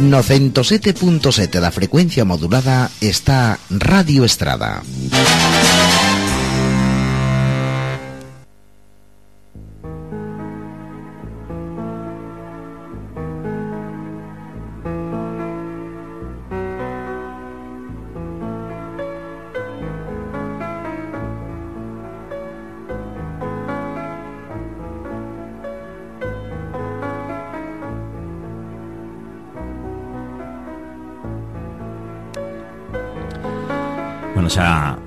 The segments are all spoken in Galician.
No 107.7 da frecuencia modulada está Radio Estrada. Bueno, xa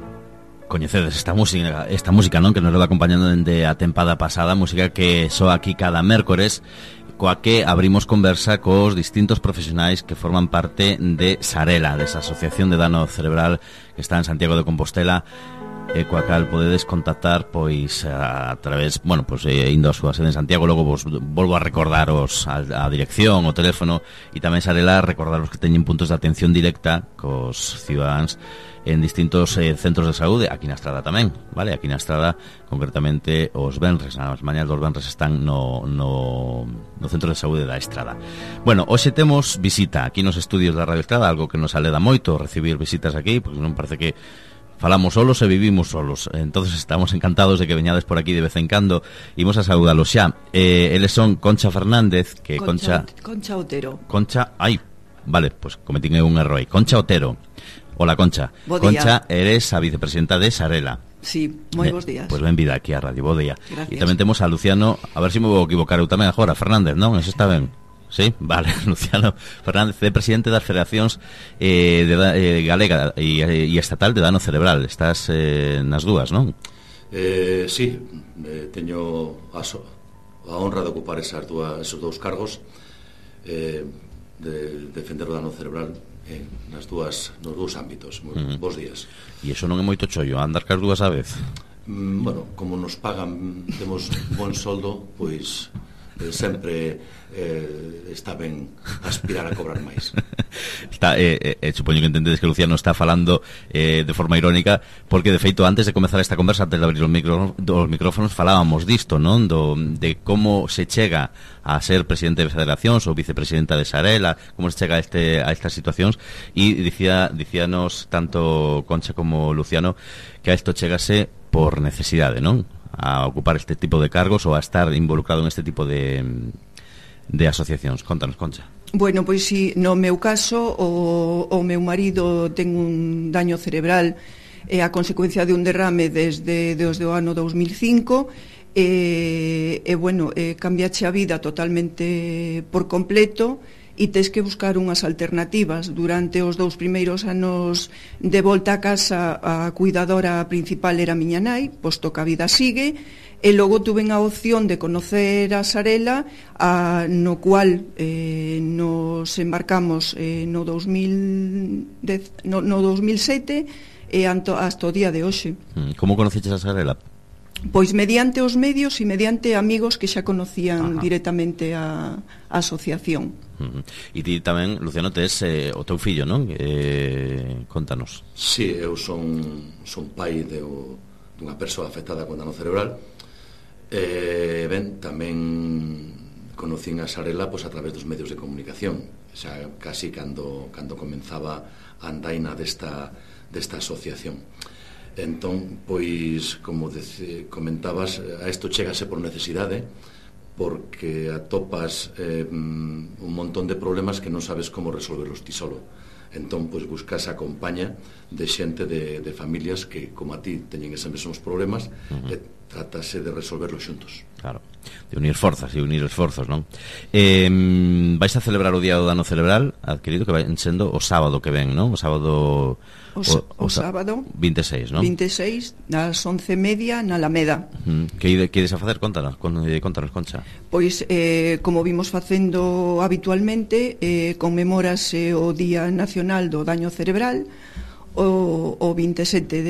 coñecedes esta música, non? Que nos leva acompañando dende a tempada pasada, música que soa aquí cada mércores, coa que abrimos conversa cos distintos profesionais que forman parte de Sarela, desa Asociación de Dano Cerebral que está en Santiago de Compostela, coa cal podedes contactar pois a través, bueno, pois indo a súa sede en Santiago. Logo vos volvo a recordaros a dirección, o teléfono, e tamén Sarela recordaros que teñen puntos de atención directa cos cidadáns en distintos centros de saúde, aquí na Estrada tamén, vale? Aquí na Estrada, concretamente os venres, as mañas dos venres están no centro de saúde da Estrada. Bueno, hoxe temos visita aquí nos estudios da Radio Estrada, algo que nos aleda moito recibir visitas aquí, porque non parece que falamos solos e vivimos solos. Entonces estamos encantados de que veñades por aquí de vez en cando. Imos a saudalos xa. Eles son Concha Fernández, que Concha Otero. Concha, ai, vale, pues cometín un erro aí. Concha Otero. Hola, Concha. Bo Concha, eres a vicepresidenta de Sarela. Sí, moi bons días. Pois benvida aquí a Radio, bo día. Gracias. E tamén temos a Luciano, a ver se me vou equivocar eu tamén agora, Fernández, non? Eso está ben. Sí, vale, Luciano Fernández, é presidente das federacións galega e estatal de dano cerebral. Estás nas dúas, non? Sí, teño a honra de ocupar esos dous cargos, de defender o dano cerebral nos dous ámbitos. Bos días. E iso non é moito chollo, andar cas dúas a vez? Bueno, como nos pagan, temos bon soldo, pois sempre está ben aspirar a cobrar máis. Supoño que entendedes que Luciano está falando de forma irónica, porque de feito antes de comezar esta conversa, antes de abrir os micrófonos, falábamos disto, non? De como se chega a ser presidente de federacións ou vicepresidenta de Sarela, como se chega a estas situacións, e dicíanos tanto Concha como Luciano que a isto chegase por necesidade, non? A ocupar este tipo de cargos ou a estar involucrado en este tipo de asociacións. Contanos, Concha. Bueno, pois si, no meu caso o meu marido ten un daño cerebral a consecuencia de un derrame desde o ano 2005 cambiache a vida totalmente por completo e tes que buscar unhas alternativas. Durante os 2 primeiros anos de volta a casa, a cuidadora principal era miña nai, posto que a vida sigue, e logo tuven a opción de conocer a Sarela, no cual nos embarcamos no 2007 e hasta o día de hoxe. Como conoceches a Sarela? Pois mediante os medios e mediante amigos que xa conocían directamente a asociación. E ti tamén, Luciano, tes o teu fillo, non? Contanos. Sí, eu son pai dunha persoa afectada con dano cerebral. Tamén conocín a Sarela a través dos medios de comunicación, xa casi cando comenzaba a andaina desta asociación. Entón, pois, como comentabas, a isto chégase por necesidade, porque atopas un montón de problemas que non sabes como resolverlos ti solo. Entón, pois, buscas a compaña de xente de familias que, como a ti, teñen eses mesmos problemas, e trátase de resolverlos xuntos. Claro, de unir forzas e unir esforzos, non? Vais a celebrar o Día do Dano Cerebral adquirido, que vai sendo o sábado que ven, non? O sábado... O sábado 26, non? 26, das 11:30 na Alameda. Que ides a facer? Contanos, Concha. Pois, como vimos facendo habitualmente, conmemórase o Día Nacional do Daño Cerebral o 27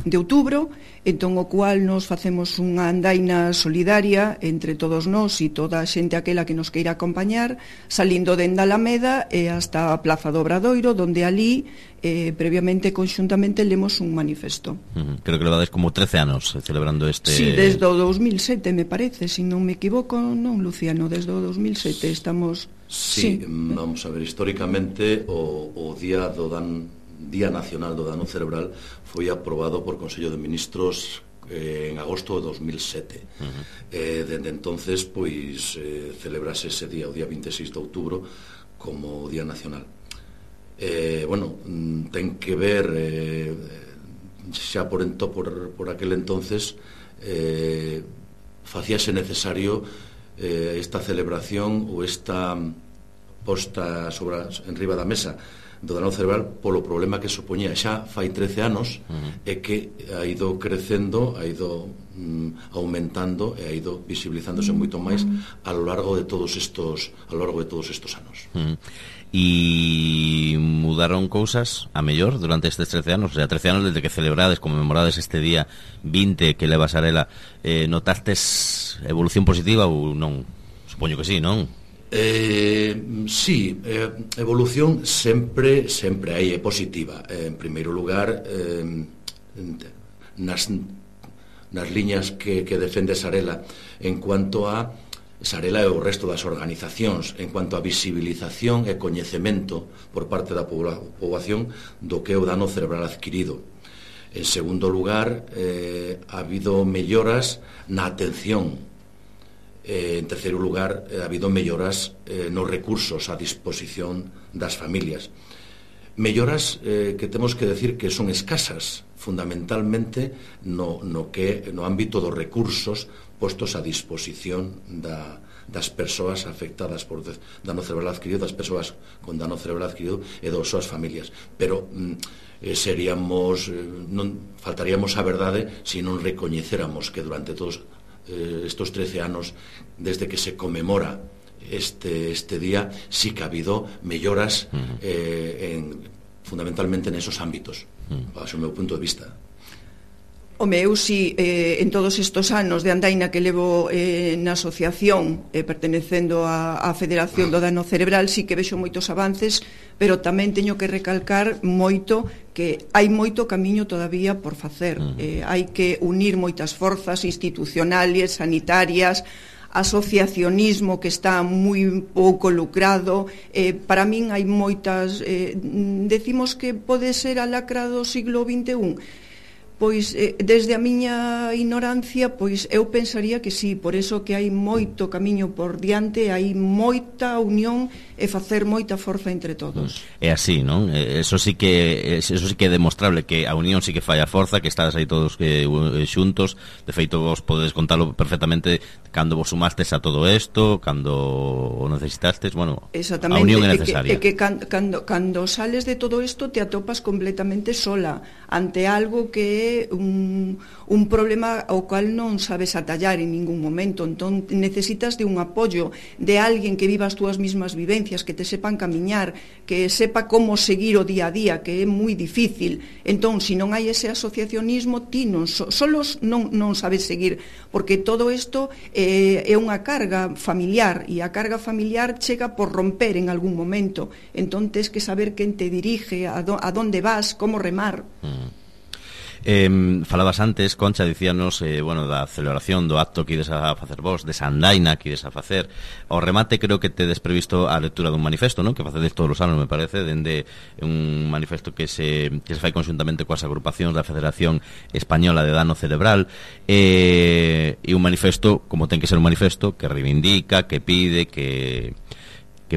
outubro, entón o cual nos facemos unha andaina solidaria entre todos nós e toda a xente aquela que nos queira acompañar, salindo dende a Alameda e hasta a Plaza do Obradoiro, donde ali previamente conxuntamente lemos un manifesto. Creo que levades como 13 anos celebrando este... Sí, desde o 2007 me parece, se non me equivoco, non, Luciano, desde o 2007 estamos... Sí, vamos a ver, históricamente o Día Nacional do Dano Cerebral foi aprobado por Consello de Ministros en agosto de 2007. Dende entonces, pois, celebrase ese día, o día 26 de outubro, como Día Nacional. Bueno, ten que ver xa por aquel entonces facíase necesario esta celebración ou esta posta en riba da mesa do dano cerebral polo problema que supoñía xa fai 13 anos e que ha ido crecendo, ha ido aumentando e ha ido visibilizándose moito máis a lo largo de todos estos anos. E mudaron cousas a mellor durante estes 13 anos, o sea, 13 anos desde que celebrades, conmemorades este día 20 que leva Sarela, notastes evolución positiva ou non? Supoño que sí, non? Sí, evolución sempre hai, é positiva. En primeiro lugar, nas liñas que defende Sarela en cuanto a Sarela e o resto das organizacións, en cuanto a visibilización e coñecemento por parte da poboación do que é o dano cerebral adquirido. En segundo lugar, ha habido melloras na atención. En terceiro lugar, ha habido melloras nos recursos a disposición das familias. Melloras que temos que decir que son escasas, fundamentalmente no ámbito dos recursos postos a disposición das persoas afectadas por dano cerebral adquirido, das persoas con dano cerebral adquirido e das súas familias. Pero faltaríamos a verdade se non recoñecéramos que durante todos estos 13 anos desde que se conmemora este día sí que ha habido melloras fundamentalmente nesos ámbitos, baixo o meu punto de vista. Home, eu si en todos estes anos de andaina que levo na asociación pertenecendo á Federación do Dano Cerebral, si que vexo moitos avances, pero tamén teño que recalcar moito que hai moito camiño todavía por facer. Hai que unir moitas forzas institucionales, sanitarias, asociacionismo que está moi pouco lucrado. Para min hai moitas... decimos que pode ser a lacra do siglo XXI. Pois, desde a miña ignorancia, pois eu pensaría que sí, por eso que hai moito camiño por diante, hai moita unión e facer moita forza entre todos. É así, non? Eso sí que é demostrable, que a unión sí que fai a forza, que estás aí todos xuntos. De feito, vos podedes contalo perfectamente cando vos sumastes a todo isto, cando o necesitastes, bueno, a unión é necesaria. E que cando sales de todo isto te atopas completamente sola ante algo que é un problema ao cual non sabes atallar en ningún momento. Entón necesitas de un apoio de alguén que viva as túas mismas vivencias, que te sepan camiñar, que sepa como seguir o día a día, que é moi difícil. Entón, se non hai ese asociacionismo, ti solos non sabes seguir, porque todo isto é unha carga familiar, e a carga familiar chega por romper en algún momento. Entón tens que saber quen te dirige, a donde vas, como remar. Falabas antes, Concha, dicíanos da celebración do acto que ides a facer vos, de Sandaina que ides a facer. Ao remate creo que tedes previsto a lectura dun manifesto, non? Que facedes todos os anos, me parece, dende un manifesto que se fai conxuntamente coas agrupacións da Federación Española de Dano Cerebral, e un manifesto, como ten que ser un manifesto, que reivindica, que pide, que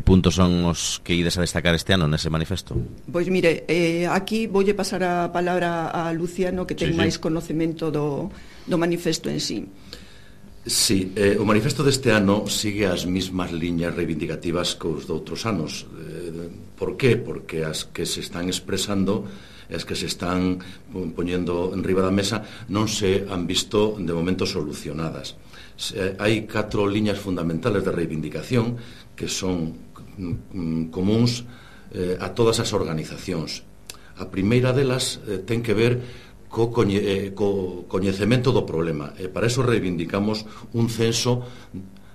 puntos son os que ides a destacar este ano nese manifesto? Pois mire, aquí voulle pasar a palabra a Luciano, que ten máis conocemento do manifesto en sí. Sí, o manifesto deste ano sigue as mismas liñas reivindicativas que os de outros anos. Por qué? Porque as que se están expresando, as que se están poñendo en riba da mesa, non se han visto de momento solucionadas. Hai 4 liñas fundamentales de reivindicación que son comuns a todas as organizacións. A primeira delas ten que ver co coñecemento do problema. E para eso reivindicamos un censo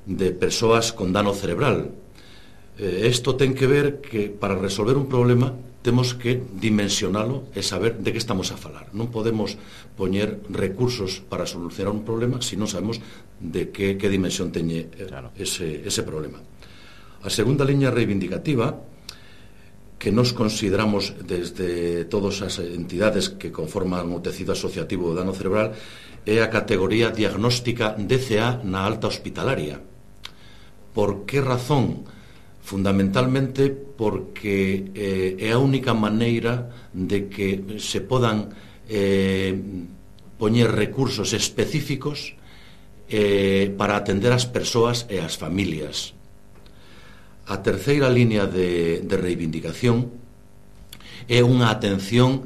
de persoas con dano cerebral. Isto ten que ver que para resolver un problema temos que dimensionalo e saber de que estamos a falar. Non podemos poñer recursos para solucionar un problema se non sabemos de que dimensión teñe ese problema. A segunda liña reivindicativa, que nos consideramos desde todas as entidades que conforman o tecido asociativo do dano cerebral, é a categoría diagnóstica DCA na alta hospitalaria. Por que razón? Fundamentalmente porque é a única maneira de que se podan poñer recursos específicos para atender as persoas e as familias. A terceira liña de reivindicación é unha atención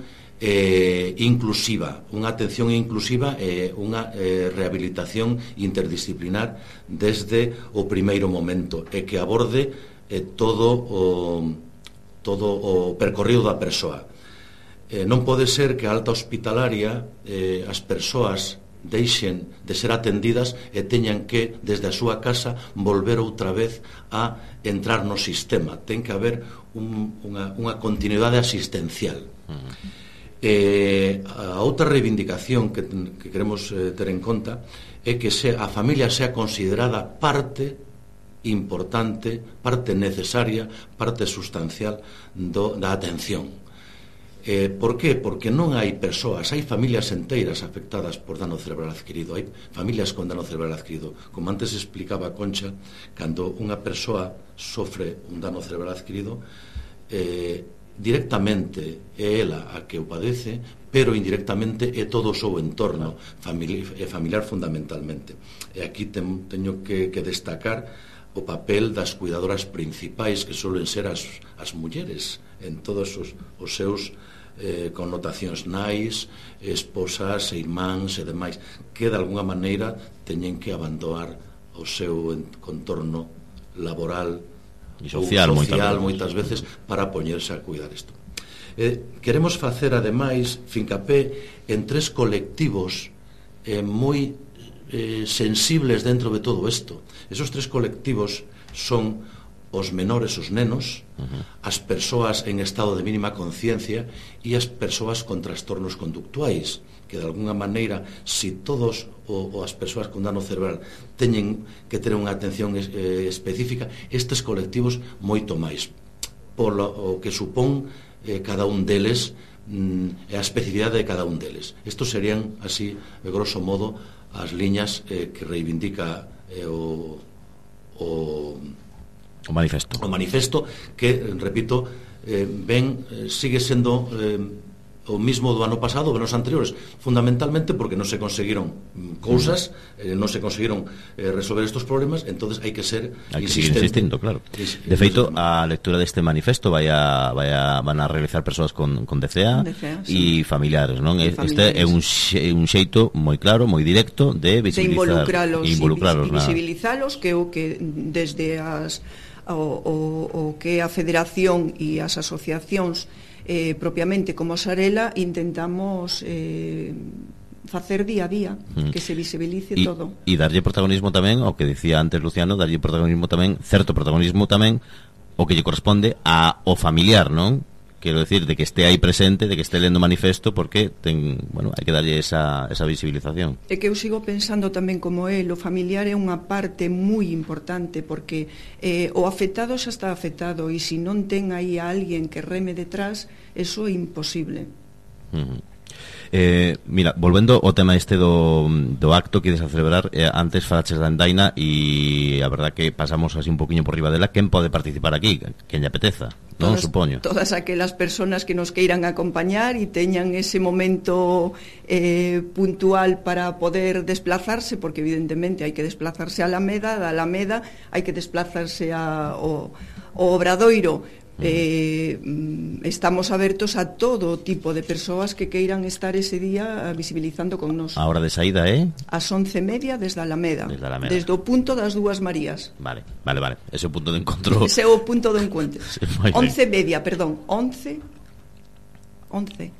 inclusiva, unha rehabilitación interdisciplinar desde o primeiro momento e que aborde todo o percorrido da persoa. Non pode ser que a alta hospitalaria as persoas deixen de ser atendidas e teñan que, desde a súa casa, volver outra vez a entrar no sistema. Ten que haber unha continuidade asistencial. A outra reivindicación que queremos ter en conta é que a familia sea considerada parte importante, parte necesaria, parte sustancial da atención. Por qué? Porque non hai persoas, hai familias enteiras afectadas por dano cerebral adquirido, hai familias con dano cerebral adquirido. Como antes explicaba Concha, cando unha persoa sofre un dano cerebral adquirido, directamente é ela a que o padece, pero indirectamente é todo o seu entorno familiar fundamentalmente. E aquí teño que destacar o papel das cuidadoras principais, que suelen ser as mulleres en todos os seus connotacións, nais, esposas, irmáns e demais, que de alguna maneira teñen que abandonar o seu contorno laboral e social moitas veces para poñerse a cuidar isto. Queremos facer ademais fincapé en 3 colectivos moi sensibles dentro de todo isto. Esos 3 colectivos son os menores, os nenos, as persoas en estado de mínima conciencia e as persoas con trastornos conductuais, que de alguna maneira, se todos as persoas con dano cerebral teñen que ter unha atención específica, estes colectivos moito máis, polo que supón cada un deles e a especificidade de cada un deles. Estos serían, así, de grosso modo, as liñas que reivindica o manifesto, que, repito, sigue sendo o mismo do ano pasado, dos anos anteriores, fundamentalmente porque non se conseguiron cousas, non se conseguiron resolver estos problemas, entonces hai que ser insistente. Insistindo, claro. De feito, a lectura deste manifesto van a realizar persoas con DCA e familiares, non? Este é un xeito moi claro, moi directo de visibilizalos, que o que desde o que a Federación e as asociacións propiamente como Sarela intentamos facer día a día, que se visibilice todo. E darlle protagonismo tamén, ao que dicía antes Luciano, darlle protagonismo tamén, certo protagonismo tamén, o que lle corresponde ao familiar, non? Quero decir, de que este aí presente, de que este lendo manifesto, porque hai que darlle esa visibilización. É que eu sigo pensando tamén como o familiar é unha parte moi importante, porque o afectado xa está afectado, e se non ten aí a alguén que reme detrás, eso é imposible. Mira, volvendo ao tema este do acto que ides a celebrar, antes falaches da Andaina e a verdad que pasamos así un poquinho por riba dela. Quen pode participar aquí? Quen lle apeteza, non, supoño? Todas aquelas persoas que nos queiran acompañar e teñan ese momento puntual para poder desplazarse, porque evidentemente hai que desplazarse a Alameda, da Alameda hai que desplazarse ao Obradoiro. Estamos abertos a todo tipo de persoas que queiran estar ese día visibilizando con nos. A hora de saída é? As 11:30 desde Alameda. Desde o punto das Dúas Marías. Vale. Ese é o punto de encontro. Ese é o punto de encontro. 11:30, perdón, 11 11.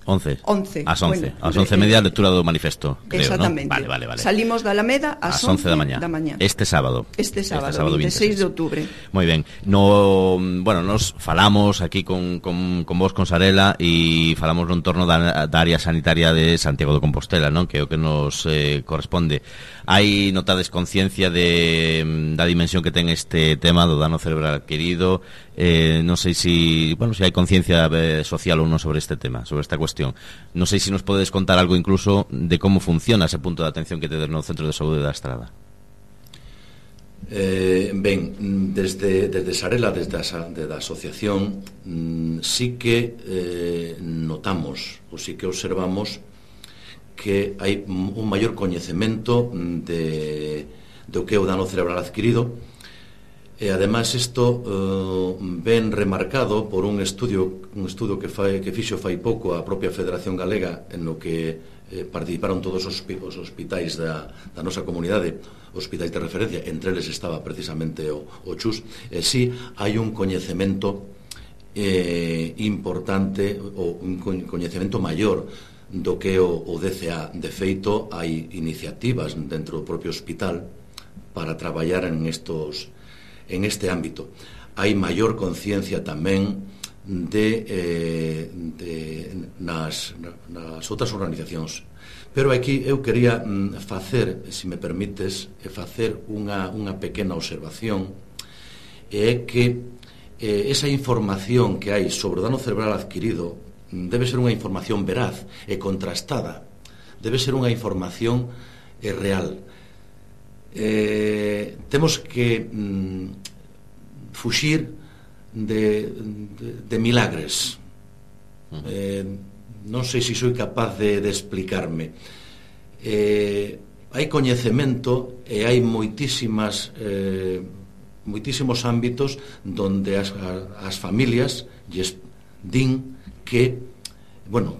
Ás 11. Bueno, ás 11:30 a lectura do manifesto, creo, exactamente. ¿no? Vale. Salimos da Alameda ás 11 da mañá. Este sábado, 26 de outubro. Moi ben. Nos falamos aquí con vos, con Sarela, e falamos no entorno da área sanitaria de Santiago de Compostela, non? Que é o que nos corresponde. Hai notades conciencia da dimensión que ten este tema do dano cerebral adquirido. Non sei se hai conciencia social ou non sobre este tema, sobre esta cuestión. Non sei se nos podes contar algo incluso de como funciona ese punto de atención que tedes no Centro de Saúde da Estrada. Desde Sarela, desde a asociación, sí que notamos, ou sí que observamos que hai un maior coñecemento do que é o dano cerebral adquirido. E ademais isto ben remarcado por un estudio que fixo fai pouco a propia Federación Galega, en no que participaron todos os hospitais da nosa comunidade, hospitais de referencia, entre eles estaba precisamente o CHUS. Si hai un coñecemento importante, ou un coñecemento maior do que o DCA. De feito, hai iniciativas dentro do propio hospital para traballar en este ámbito. Hai maior conciencia tamén nas outras organizacións. Pero aquí eu quería facer, se me permites, facer unha pequena observación, é que esa información que hai sobre o dano cerebral adquirido debe ser unha información veraz e contrastada, debe ser unha información real. Temos que fuxir de milagres. Non sei se sou capaz de explicarme. Hai coñecemento e hai moitísimos ámbitos donde as familias lles din que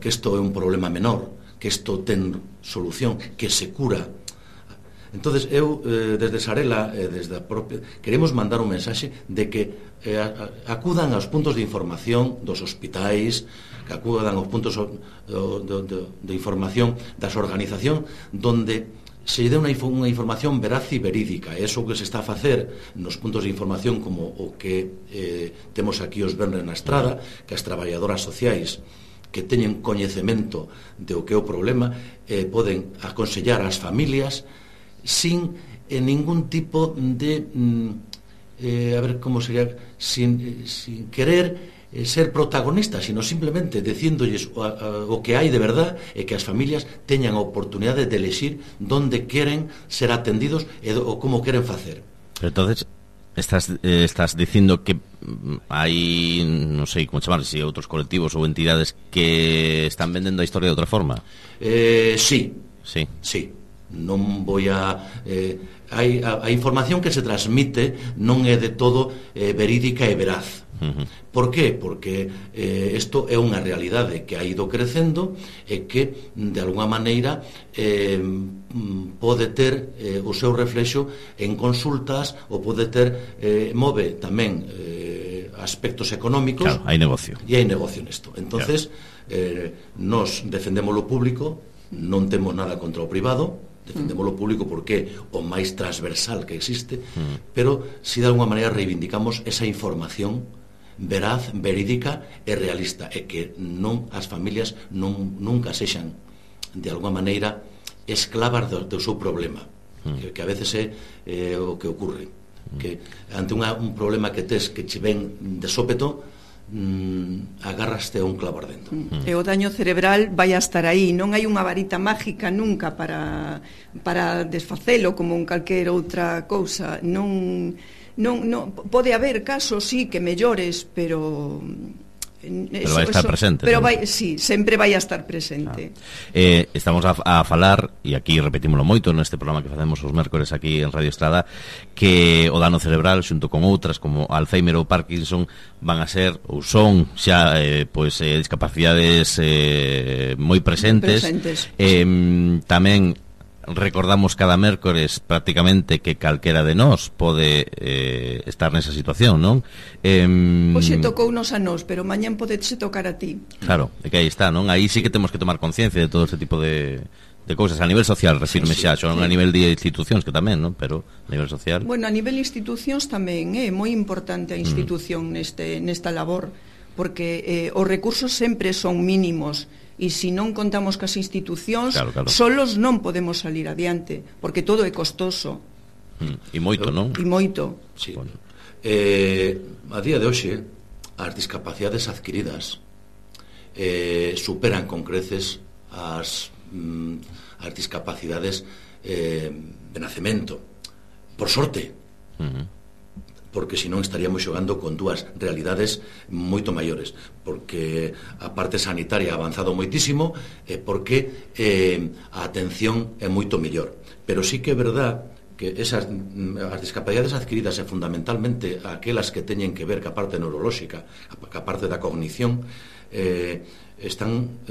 isto é un problema menor, que isto ten solución, que se cura. Entonces eu, desde Sarela, desde a propia, queremos mandar un mensaxe de que acudan aos puntos de información dos hospitais, que acudan aos puntos de información das organizacións, donde se dé unha información veraz e verídica. É iso que se está a facer nos puntos de información, como o que temos aquí os venres na Estrada, que as traballadoras sociais que teñen coñecemento de o que é o problema poden aconsellar ás familias sin ningún tipo de sin querer ser protagonistas, sino simplemente dicíndolles o que hai de verdad, e que as familias teñan a oportunidade de elexir donde queren ser atendidos e como queren facer. Pero entonces estás dicindo que hai, non sei como chamar, se outros colectivos ou entidades que están vendendo a historia de outra forma? Sí. Non vou a información que se transmite non é de todo verídica e veraz. Por qué? Porque isto é unha realidade que ha ido crecendo e que de alguna maneira pode ter o seu reflexo en consultas, ou pode ter move tamén aspectos económicos. Claro, hai negocio. E hai negocio nesto. Entonces, nos defendemos o público, non temos nada contra o privado, defendemos o público porque é o máis transversal que existe, pero si de alguma maneira reivindicamos esa información veraz, verídica e realista, e que non as familias nunca sexan de alguma maneira esclavas do seu problema, que a veces é o que ocurre, que ante un problema que tes que che ven de sópeto, agárraste a un clavo ardendo. E o daño cerebral vai a estar aí, non hai unha varita mágica nunca para desfacelo como en calquer outra cousa. Non pode haber casos, sí, que mellores, pero vai estar presente. Pero sí, sempre vai a estar presente. Estamos a falar, e aquí repetímoslo moito neste programa que facemos os mércores aquí en Radio Estrada, que o dano cerebral, xunto con outras como Alzheimer ou Parkinson, van a ser ou son xa discapacidades moi presentes. Tamén recordamos cada mércores prácticamente que calquera de nós pode estar nesa situación, non? Hoxe tocounos a nós, pero mañán podeche tocar a ti. Claro, é que aí está, non? Aí sí que temos que tomar conciencia de todo este tipo de cousas a nivel social, refirme xa, non a nivel de institucións que tamén, non? Pero a nivel social. Bueno, a nivel institucións tamén é moi importante a institución nesta labor, porque os recursos sempre son mínimos. E se non contamos cas institucións, solos non podemos salir adiante, porque todo é costoso. E moito, non? E moito. Sí. Bueno. A día de hoxe, as discapacidades adquiridas superan con creces as discapacidades de nacemento. Por sorte. Porque senón estaríamos xogando con dúas realidades moito maiores, porque a parte sanitaria ha avanzado moitísimo e porque a atención é moito mellor. Pero sí que é verdad que as discapacidades adquiridas e fundamentalmente aquelas que teñen que ver ca parte neurolóxica, ca parte da cognición, están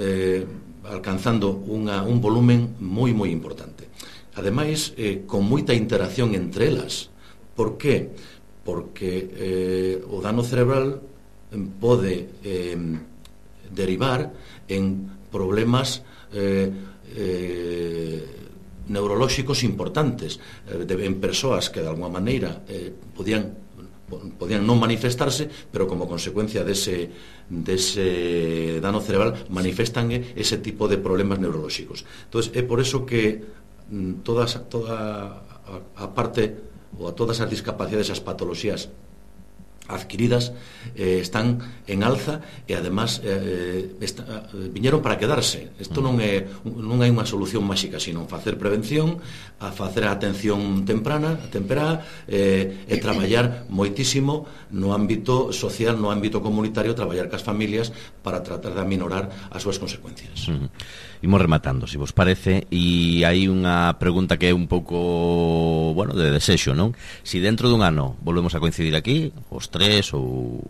alcanzando un volumen moi importante. Ademais, con moita interacción entre elas. Por que? Porque o dano cerebral pode derivar en problemas neurolóxicos importantes en persoas que de alguma maneira podían non manifestarse, pero como consecuencia dese dano cerebral manifestan ese tipo de problemas neurolóxicos. Entón, é por eso que toda a parte ou a todas as discapacidades, as patoloxías adquiridas están en alza e además viñeron para quedarse. Isto non hai unha solución máxica, sino facer prevención, a facer a atención temperá e traballar moitísimo no ámbito social, no ámbito comunitario, traballar cas familias para tratar de aminorar as súas consecuencias. Imos rematando, se vos parece, e hai unha pregunta que é un pouco, bueno, de desexo, non? Si dentro dun ano volvemos a coincidir aquí, os tres ou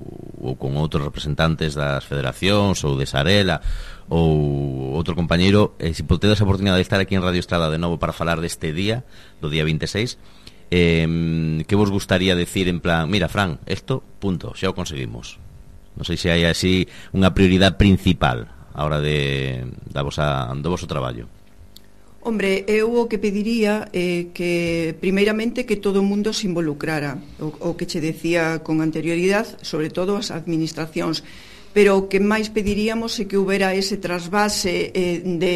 con outros representantes das federacións ou de Sarela ou outro compañeiro, se tedes a oportunidade de estar aquí en Radio Estrada de novo para falar deste día, do día 26, que vos gustaría decir en plan, mira, Fran, isto, punto, xa o conseguimos. Non sei se hai así unha prioridade principal a hora do voso traballo. Hombre, eu o que pediría é que, primeiramente, que todo o mundo se involucrara, o que che decía con anterioridade, sobre todo as administracións, pero o que máis pediríamos é que houbera ese trasvase de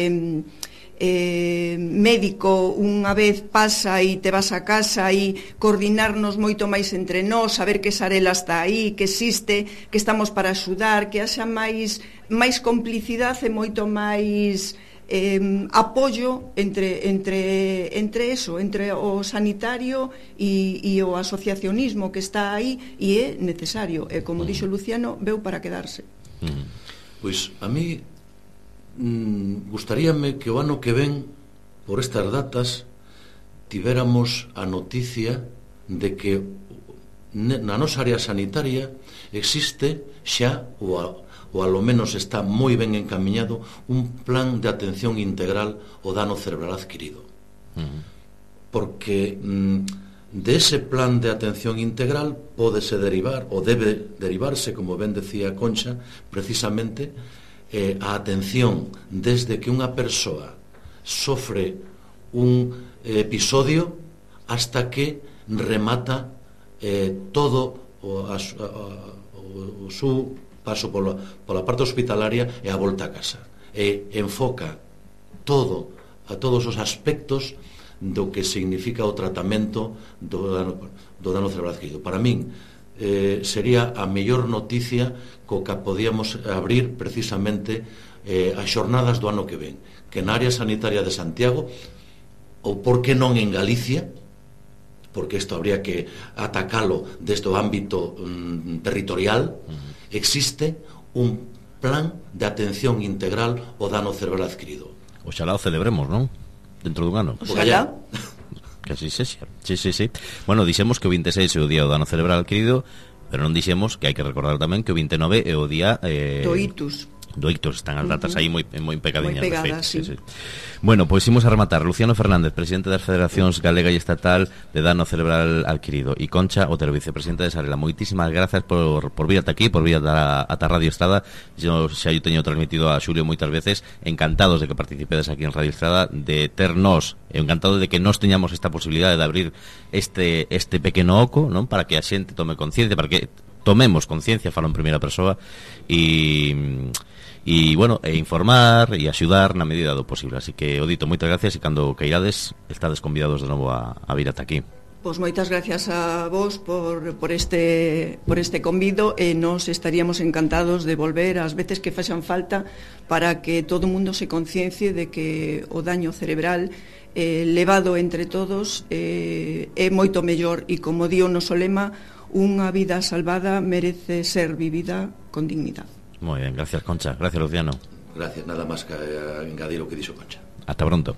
médico, unha vez pasa e te vas a casa, e coordinarnos moito máis entre nós, saber que Sarela está aí, que existe, que estamos para axudar, que haxa máis complicidade e moito máis apoio entre eso, entre o sanitario e o asociacionismo que está aí, e é necesario, e como dixo Luciano, veu para quedarse. Pois a mí gustaríame que o ano que ven, por estas datas, tivéramos a noticia de que na nosa área sanitaria existe xa, ou alo menos está moi ben encamiñado, un plan de atención integral ao dano cerebral adquirido. Porque de ese plan de atención integral pódese derivar, ou debe derivarse, como ben decía Concha, precisamente a atención desde que unha persoa sofre un episodio hasta que remata todo o seu paso pola parte hospitalaria e a volta a casa, e enfoca a todos os aspectos do que significa o tratamento do dano cerebral adquirido. Para min sería a mellor noticia co que podíamos abrir precisamente as xornadas do ano que ven, que na área sanitaria de Santiago, ou por que non en Galicia, porque isto habría que atacalo desde o ámbito territorial, existe un plan de atención integral ao dano cerebral adquirido. Oxalá o celebremos, non? Dentro dun ano. Oxalá. Que así sexa. Sí. Bueno, dixemos que o 26 é o día do dano cerebral adquirido, pero non dixemos que hai que recordar tamén que o 29 é o día do itus. do ictus, están as datas aí moi pegadiñas, moi pegadas, sí. Bueno, pois imos a rematar. Luciano Fernández, presidente das Federacións Galega e Estatal de Dano Cerebral Adquirido, e Concha Otero, vicepresidenta de Sarela. Moitísimas grazas por vir ata aquí, por vir ata Radio Estrada. Yo xa yo teño transmitido a Xulio moitas veces, encantados de que participedes aquí en Radio Estrada, de ternos, encantado de que nos teñamos esta posibilidade de abrir este pequeno oco, non, para que a xente tome conciencia, para que tomemos conciencia, falo en primeira persoa, e bueno, informar e axudar na medida do posible. Así que, Odito, moitas gracias, e cando queirades estades convidados de novo a vir ata aquí. Pois moitas gracias a vos por este convido, e nos estaríamos encantados de volver ás veces que faxan falta para que todo o mundo se conciencie de que o daño cerebral levado entre todos é moito mellor, e como di o noso lema, unha vida salvada merece ser vivida con dignidade. Moi ben, gracias, Concha. Gracias, Luciano. Gracias, nada máis que engadir o que dixo Concha. Hasta pronto.